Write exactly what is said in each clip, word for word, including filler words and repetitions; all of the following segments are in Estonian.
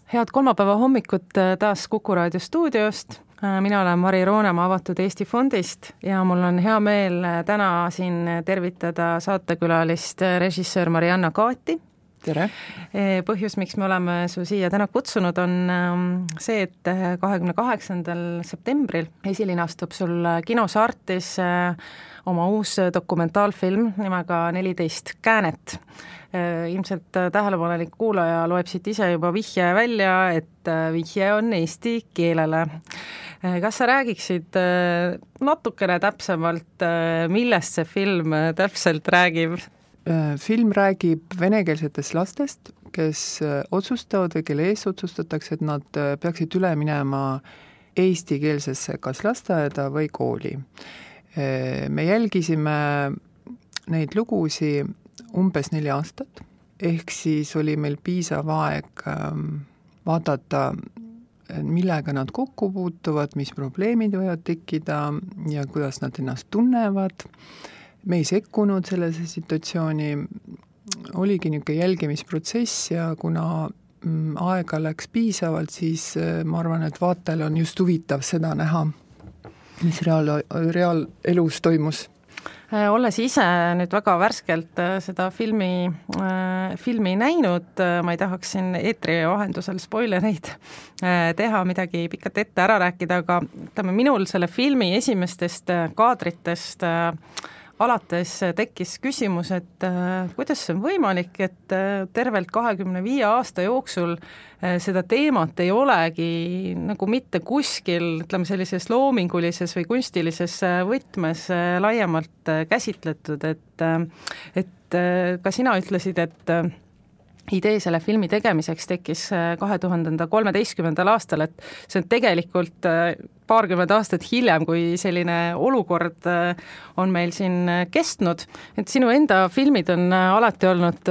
Head kolmapäeva hommikut taas Kuku raadio stuudiost. Mina olen Mari Roonemaa Avatud Eesti Fondist ja mul on hea meel täna siin tervitada saatekülalist režissöör Marianna Kaati. Tere! Põhjus, miks me oleme su siia täna kutsunud, on see, et kahekümne kaheksandal septembril esilin astub sul kinos Artis oma uus dokumentaalfilm nimega neliteist käänet. Ilmselt tähelepanelik kuulaja loeb siit ise juba vihje välja, et vihje on eesti keelele. Kas sa räägiksid natukene täpsemalt, millest see film täpselt räägib? Film räägib venekeelsetest lastest, kes otsustavad või kelle ees otsustatakse, et nad peaksid üle minema eestikeelsesse kas lasteaeda või kooli. Me jälgisime neid lugusi umbes neli aastat, ehk siis oli meil piisav aeg vaadata, millega nad kokku puutuvad, mis probleemid võivad tekkida ja kuidas nad ennast tunnevad. Me ei sekkunud sellesse situatsiooni, oligi niisugune jälgimisprotsess ja kuna aega läks piisavalt, siis ma arvan, et vaatajal on just huvitav seda näha, mis reaal, reaalelus toimus. Olles ise nüüd väga värskelt seda filmi, filmi näinud, ma ei tahaks siin eetri vahendusel spoilereid teha, midagi pikalt ette ära rääkida, aga ütleme, minul selle filmi esimestest kaadritest alates tekkis küsimus, et kuidas see on võimalik, et tervelt kahekümne viie aasta jooksul seda teemat ei olegi nagu mitte kuskil, ütleme sellises loomingulises või kunstilises võtmes laiemalt käsitletud, et, et ka sina ütlesid, et idee selle filmi tegemiseks tekkis kahe tuhande kolmeteistkümnendal aastal, et see on tegelikult paarkümmend aastat hiljem, kui selline olukord on meil siin kestnud. Et sinu enda filmid on alati olnud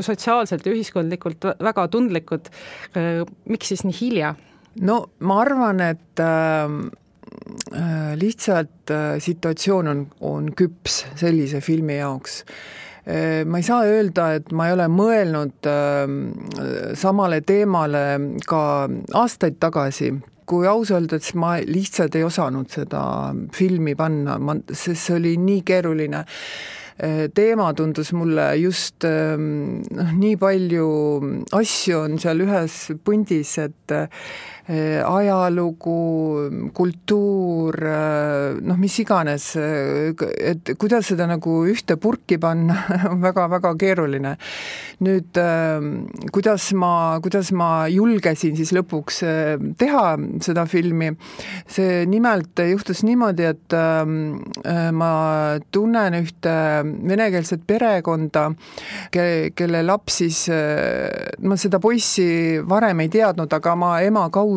sotsiaalselt ja ühiskondlikult väga tundlikud. Miks siis nii hilja? No ma arvan, et äh, lihtsalt situatsioon on, on küps sellise filmi jaoks. Ma ei saa öelda, et ma ei ole mõelnud samale teemale ka aastaid tagasi, kui aus öelda, et ma lihtsalt ei osanud seda filmi panna, sest see oli nii keeruline. Teema tundus mulle just noh, nii palju asju on seal ühes pundis, et ajalugu, kultuur, noh mis iganes, et kuidas seda nagu ühte purki panna, on väga-väga keeruline. Nüüd, kuidas ma, kuidas ma julgesin siis lõpuks teha seda filmi, see nimelt juhtus niimoodi, et ma tunnen ühte venekeelset perekonda, kelle laps siis, ma seda poissi varem ei teadnud, aga ma ema kaudu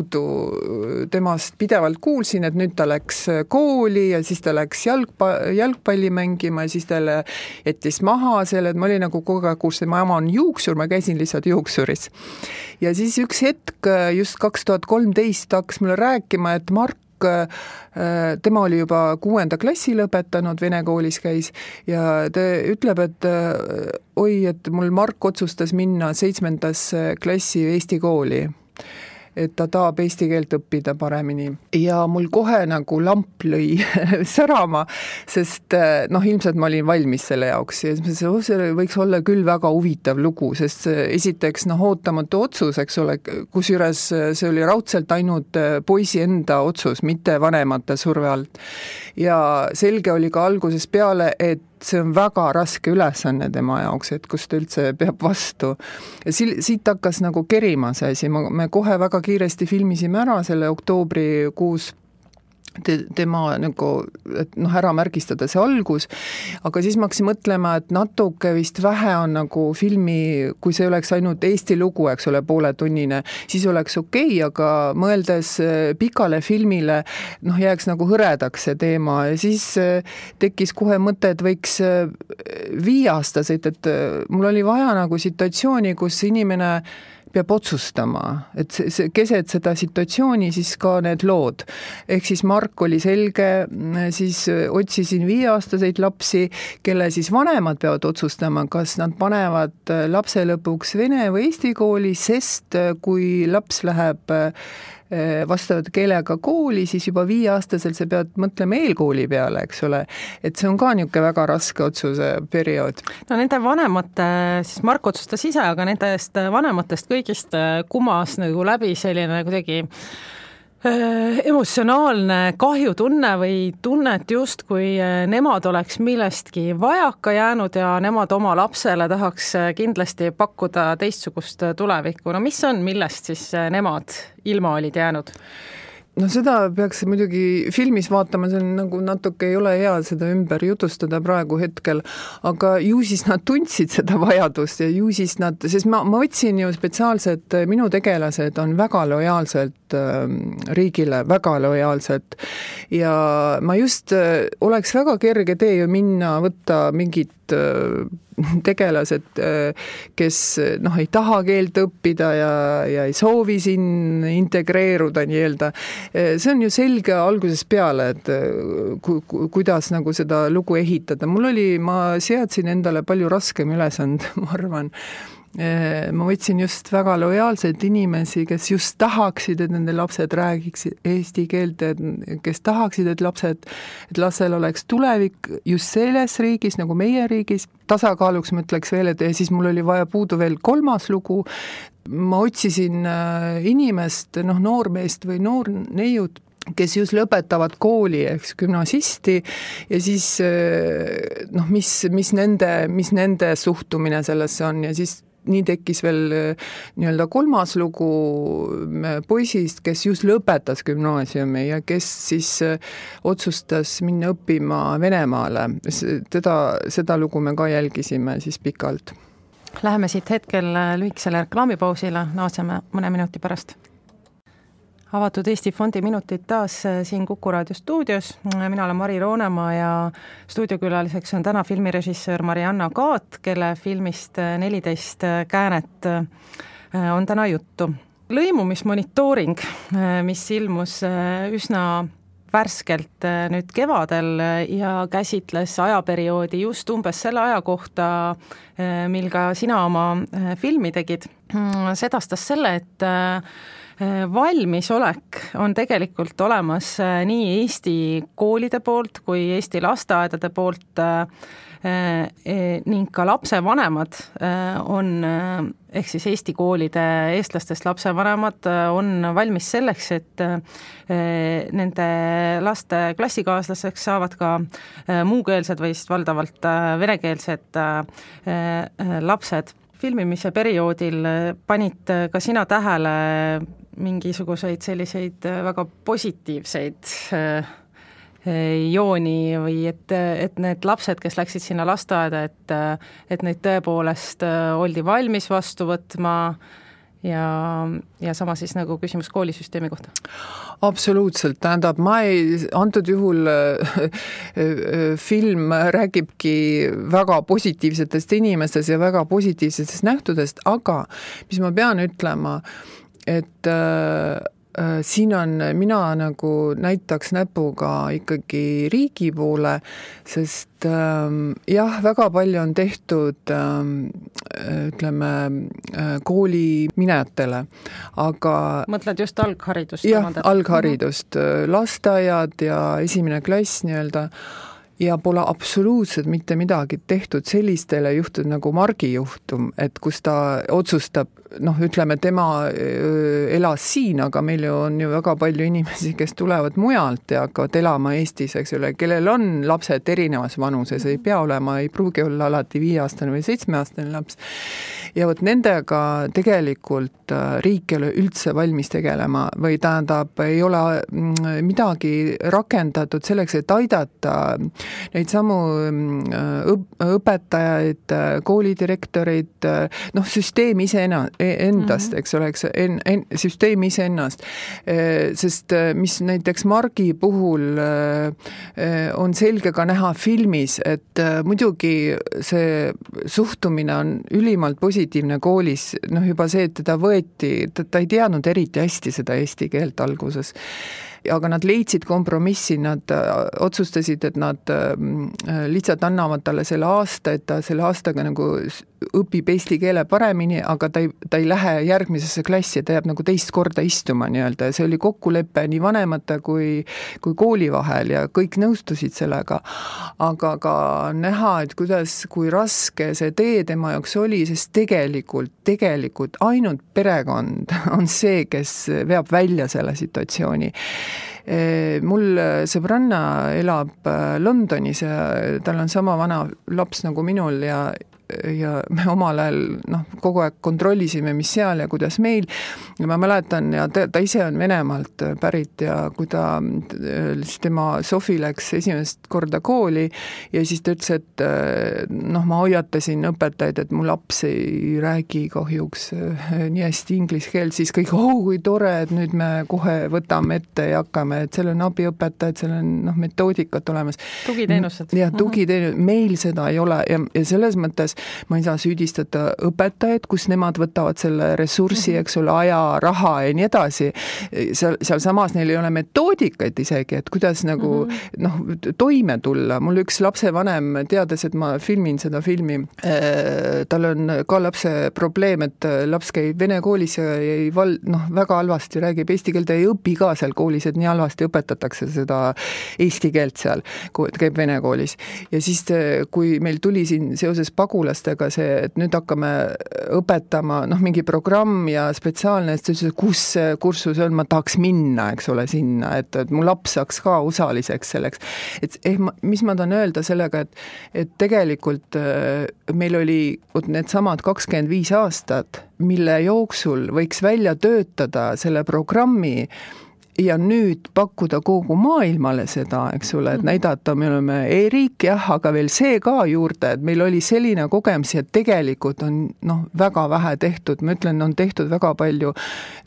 temast pidevalt kuulsin, et nüüd ta läks kooli ja siis ta läks jalgpa- jalgpalli mängima ja siis talle jättis maha selle, et ma olin nagu kogu aeg kuulsin, ma ema on juuksur, ma käisin lihtsalt juuksuris. Ja siis üks hetk, just kaks tuhat kolmteist hakkas mulle rääkima, et Mark tema oli juba kuuenda klassi lõpetanud, vene koolis käis ja ta ütleb, et oi, et mul Mark otsustas minna seitsmendasse klassi Eesti kooli, et ta tahab eesti keelt õppida paremini. Ja mul kohe nagu lamp lõi särama, sest noh, ilmselt ma olin valmis selle jaoks ja see võiks olla küll väga huvitav lugu, sest esiteks noh, ootamatu otsus, eks ole, kusjuures see oli raudselt ainult poisi enda otsus, mitte vanemate surve alt. Ja selge oli ka alguses peale, et see on väga raske ülesanne tema jaoks, et kus ta üldse peab vastu. Ja siit hakkas nagu kerima see asi, me kohe väga kiiresti filmisime ära selle oktoobrikuus te, tema nagu, et noh, ära märgistada see algus, aga siis ma hakkasin mõtlema, et natuke vist vähe on nagu filmi, kui see oleks ainult Eesti lugu, eks ole, pooletunnine, siis oleks okei, aga mõeldes pikale filmile, noh, jääks nagu hõredaks see teema ja siis tekkis kohe mõte, et võiks viieaastaseid, et mul oli vaja nagu situatsiooni, kus inimene peab otsustama, et see, see, keset seda situatsiooni siis ka need lood. Ehk siis Mark oli selge, siis otsisin viieaastaseid lapsi, kelle siis vanemad peavad otsustama, kas nad panevad lapse lõpuks vene või eesti kooli, sest kui laps läheb vastavat keelega kooli, siis juba viieaastaselt sa pead mõtlema eelkooli peale, eks ole. Et see on ka niisugune väga raske otsuse periood. No nende vanemate, siis Mark otsustas ise, aga nendest vanematest kõigist kumas nagu läbi selline kuidagi emotsionaalne kahjutunne või tunnet just, kui nemad oleks millestki vajaka jäänud ja nemad oma lapsele tahaks kindlasti pakkuda teistsugust tulevikku. No mis on, millest siis nemad ilma olid jäänud? No seda peaks muidugi filmis vaatama, see on nagu natuke ei ole hea seda ümber jutustada praegu hetkel, aga ju siis nad tundsid seda vajadust ja ju siis nad, sest ma, ma võtsin ju spetsiaalselt, minu tegelased on väga lojaalselt äh, riigile, väga lojaalselt ja ma just äh, oleks väga kerge tee ju minna, võtta mingit äh, tegelased, kes noh, ei taha keelt õppida ja, ja ei soovi siin integreeruda nii-öelda. See on ju selge algusest peale, et ku, ku, kuidas nagu seda lugu ehitada. Mul oli, ma seadsin endale palju raskem ülesand, ma arvan. Ma võtsin just väga lojaalseid inimesi, kes just tahaksid, et nende lapsed räägiksid eesti keelt, kes tahaksid, et lapsed, et lastel oleks tulevik just selles riigis, nagu meie riigis. Tasakaaluks ma ütleks veel, et siis mul oli vaja puudu veel kolmas lugu. Ma otsisin inimest, noh, noormeest või noorneiud, kes just lõpetavad kooli, eks gümnasisti ja siis noh, mis, mis, nende, mis nende suhtumine sellesse on ja siis nii tekkis veel nii-öelda kolmas lugu poisist, kes just lõpetas gümnaasiumi ja kes siis otsustas minna õppima Venemaale. Teda, seda lugu me ka jälgisime siis pikalt. Läheme siit hetkel lühikesele reklaamipausile, naaseme mõne minuti pärast. Avatud Eesti Fondi minutid taas siin Kuku Raadio stuudios. Mina olen Mari Roonemaa ja stuudiokülaliseks on täna filmirežissöör Marianna Kaat, kelle filmist neliteist käänet on täna juttu. Lõimumismonitooring, mis ilmus üsna värskelt nüüd kevadel ja käsitles ajaperioodi just umbes selle aja kohta, mil ka sina oma filmi tegid, sedastas selle, et valmisolek on tegelikult olemas nii Eesti koolide poolt kui Eesti lasteaedade poolt ning ka lapsevanemad on, ehk siis Eesti koolide eestlastest lapsevanemad on valmis selleks, et nende laste klassikaaslaseks saavad ka muukeelsed või valdavalt venekeelsed lapsed. Filmimise perioodil panid ka sina tähele mingisuguseid selliseid väga positiivseid jooni või et, et need lapsed, kes läksid sinna lasteaeda, et, et neid tõepoolest oldi valmis vastu võtma ja, ja sama siis nagu küsimus koolisüsteemi kohta? Absoluutselt, tähendab, ma ei, antud juhul film räägibki väga positiivsetest inimestest ja väga positiivsetest nähtudest, aga mis ma pean ütlema, et äh, siin on, mina nagu näitaks näpuga ikkagi riigi poole, sest ähm, jah, väga palju on tehtud ähm, ütleme kooliminejatele, aga mõtled just algharidust? Jah, algharidust, lasteaiad ja esimene klass nii-öelda, ja pole absoluutselt mitte midagi tehtud sellistele juhtud nagu Margi juhtum, et kus ta otsustab, noh, ütleme, tema elas siin, aga meil ju on ju väga palju inimesi, kes tulevad mujalt ja hakkavad elama Eestis, eks ole, kellel on lapsed erinevas vanuses, ei pea olema, ei pruugi olla alati viieaastane või seitsmeaastane laps. Ja võt nendega tegelikult riik ei ole üldse valmis tegelema või tähendab, ei ole midagi rakendatud selleks, et aidata neid samu õp- õpetajaid, koolidirektoreid, noh, süsteem ise endast, eks ole, eks en, en, süsteem ise ennast. Sest mis näiteks Margi puhul on selge ka näha filmis, et muidugi see suhtumine on ülimalt positiivne koolis, noh juba see, et teda võeti, ta, ta ei teadnud eriti hästi seda eesti keelt alguses. Aga nad leidsid kompromissi, nad otsustasid, et nad lihtsalt annavad talle selle aasta, et ta selle aastaga nagu õpib eesti keele paremini, aga ta ei, ta ei lähe järgmisesse klassi, ta jääb nagu teist korda istuma nii-öelda ja see oli kokkulepe nii vanemate kui, kui kooli vahel ja kõik nõustusid sellega. Aga ka näha, et kuidas, kui raske see tee tema jaoks oli, sest tegelikult, tegelikult ainult perekond on see, kes veab välja selle situatsiooni. Mul sõbranna elab Londonis ja tal on sama vana laps nagu minul ja ja me omal ajal noh, kogu aeg kontrollisime, mis seal ja kuidas meil. Ja ma mäletan, ja ta, ta ise on Venemaalt pärit ja kui ta, tema Sofi läks esimest korda kooli ja siis ta ütles, et noh, ma hoiatasin õpetajaid, et mu laps ei räägi kahjuks nii hästi inglise keelt, siis kõik, oh, kui tore, et nüüd me kohe võtame ette ja hakkame, et seal on abiõpetajad, seal on noh, metoodikat olemas. Tugiteenused. Ja tugiteenused, meil seda ei ole ja, ja selles mõttes ma ei saa süüdistada õpetajaid, kus nemad võtavad selle ressurssi, eks ole, aja, raha ja nii edasi. Seal, seal samas neil ei ole metoodikaid isegi, et kuidas nagu mm-hmm. noh, toime tulla. Mul üks lapsevanem teades, et ma filmin seda filmi, äh, tal on ka lapse probleem, et laps käib vene koolis ja ei val, noh, väga halvasti räägib eesti keelt ja ei õpi ka seal koolis, et nii halvasti õpetatakse seda eesti keelt seal, käib vene koolis. Ja siis, kui meil tuli siin seoses pagula see, et nüüd hakkame õpetama noh, mingi programm ja spetsiaalne, et see, kus see kursus on, ma tahaks minna, eks ole, sinna, et, et mu laps saaks ka osaliseks selleks. Et eh, mis ma tahan öelda sellega, et, et tegelikult meil oli need samad kakskümmend viis aastat, mille jooksul võiks välja töötada selle programmi ja nüüd pakkuda kogu maailmale seda, eks ole, et näidata, me oleme e-riik, jah, aga veel see ka juurde, et meil oli selline kogemus, et tegelikult on noh, väga vähe tehtud, ma ütlen, on tehtud väga palju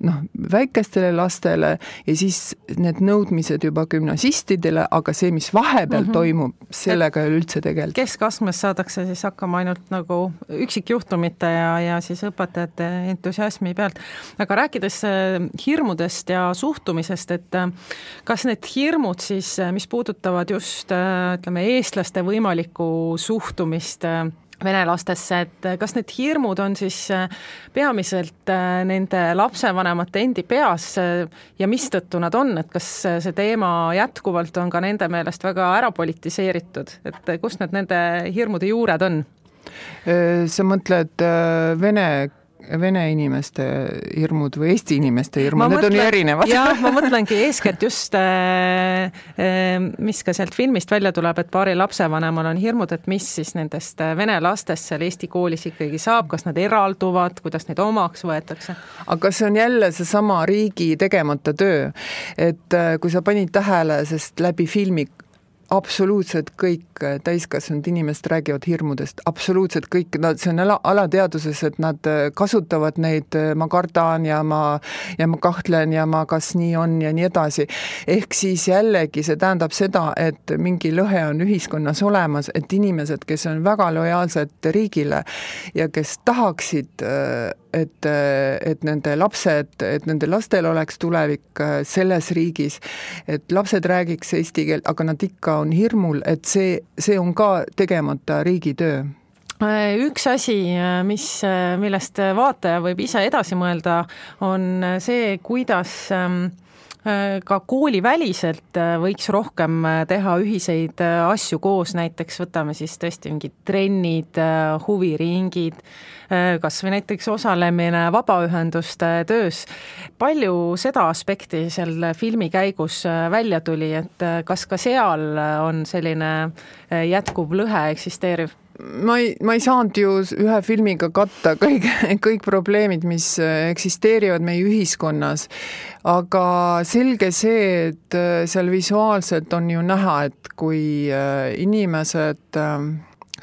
noh, väikestele lastele ja siis need nõudmised juba gümnasistidele, aga see, mis vahepeal mm-hmm. toimub, sellega ei ole üldse tegelikult. Keskastmes saadakse siis hakkama ainult nagu üksikjuhtumite ja, ja siis õpetajate entusiasmi pealt. Aga rääkides hirmudest ja suhtumisest, et kas need hirmud siis, mis puudutavad just ütleme, eestlaste võimalikku suhtumist venelastesse, et kas need hirmud on siis peamiselt nende lapsevanemate endi peas ja mistõttu nad on, et kas see teema jätkuvalt on ka nende meelest väga ära politiseeritud, et kust need nende hirmude juured on? Sa mõtled vene Vene inimeste hirmud või Eesti inimeste hirmud, need on ju erinevad. Jah, ma mõtlengi eeskätt just, mis ka sealt filmist välja tuleb, et paari lapsevanemal on hirmud, et mis siis nendest vene lastest seal Eesti koolis ikkagi saab, kas nad eralduvad, kuidas neid omaks võetakse? Aga see on jälle see sama riigi tegemata töö, et kui sa panid tähele, sest läbi filmi absoluutselt kõik täiskasvanud inimesed räägivad hirmudest, absoluutselt kõik, no see on ala, alateaduses, et nad kasutavad neid, ma kardan ja ma, ja ma kahtlen ja ma kas nii on ja nii edasi. Ehk siis jällegi see tähendab seda, et mingi lõhe on ühiskonnas olemas, et inimesed, kes on väga lojaalsed riigile ja kes tahaksid et, et nende lapsed, et nende lastel oleks tulevik selles riigis, et lapsed räägiks eesti keelt, aga nad ikka on hirmul, et see, see on ka tegemata riigitöö. Üks asi, mis, millest vaataja võib ise edasi mõelda, on see, kuidas ka kooliväliselt võiks rohkem teha ühiseid asju koos, näiteks võtame siis tõesti mingid trennid, huviringid, kas või näiteks osalemine vabaühenduste töös. Palju seda aspekti seal filmi käigus välja tuli, et kas ka seal on selline jätkuv lõhe eksisteeriv? ma ei, ma ei saanud ju ühe filmiga katta kõik, kõik probleemid, mis eksisteerivad meie ühiskonnas, aga selge see, et seal visuaalselt on ju näha, et kui inimesed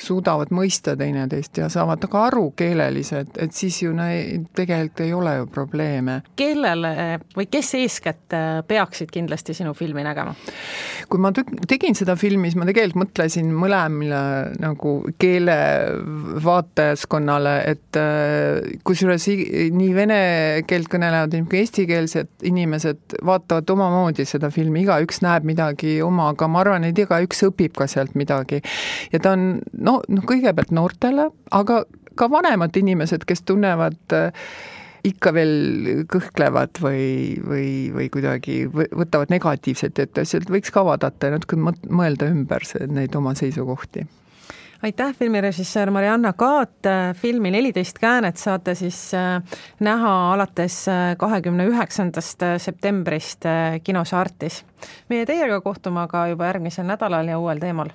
suudavad mõista teineteist ja saavad ka aru keeleliselt, et siis ju ne, tegelikult ei ole ju probleeme. Kellele või kes eeskätt peaksid kindlasti sinu filmi nägema? Kui ma tegin seda filmi, siis ma tegelikult mõtlesin mõlemile nagu keele vaatajaskonnale, et kusjuures nii vene keelt kõnelevad kui eestikeelsed inimesed vaatavad omamoodi seda filmi, igaüks näeb midagi oma, aga ma arvan, et igaüks õpib ka sealt midagi. Ja ta on no, no kõigepealt noortele, aga ka vanemad inimesed, kes tunnevad ikka veel kõhklevad või, või, või kuidagi võtavad negatiivset, et sealt võiks ka vaadata ja natuke mõelda ümber neid oma seisukohti. Aitäh, filmirežissöör Marianna Kaat. Filmi neliteist käänet saate siis näha alates kahekümne üheksandast septembrist kinos Artis. Meie teiega kohtume aga juba järgmisel nädalal ja uuel teemal.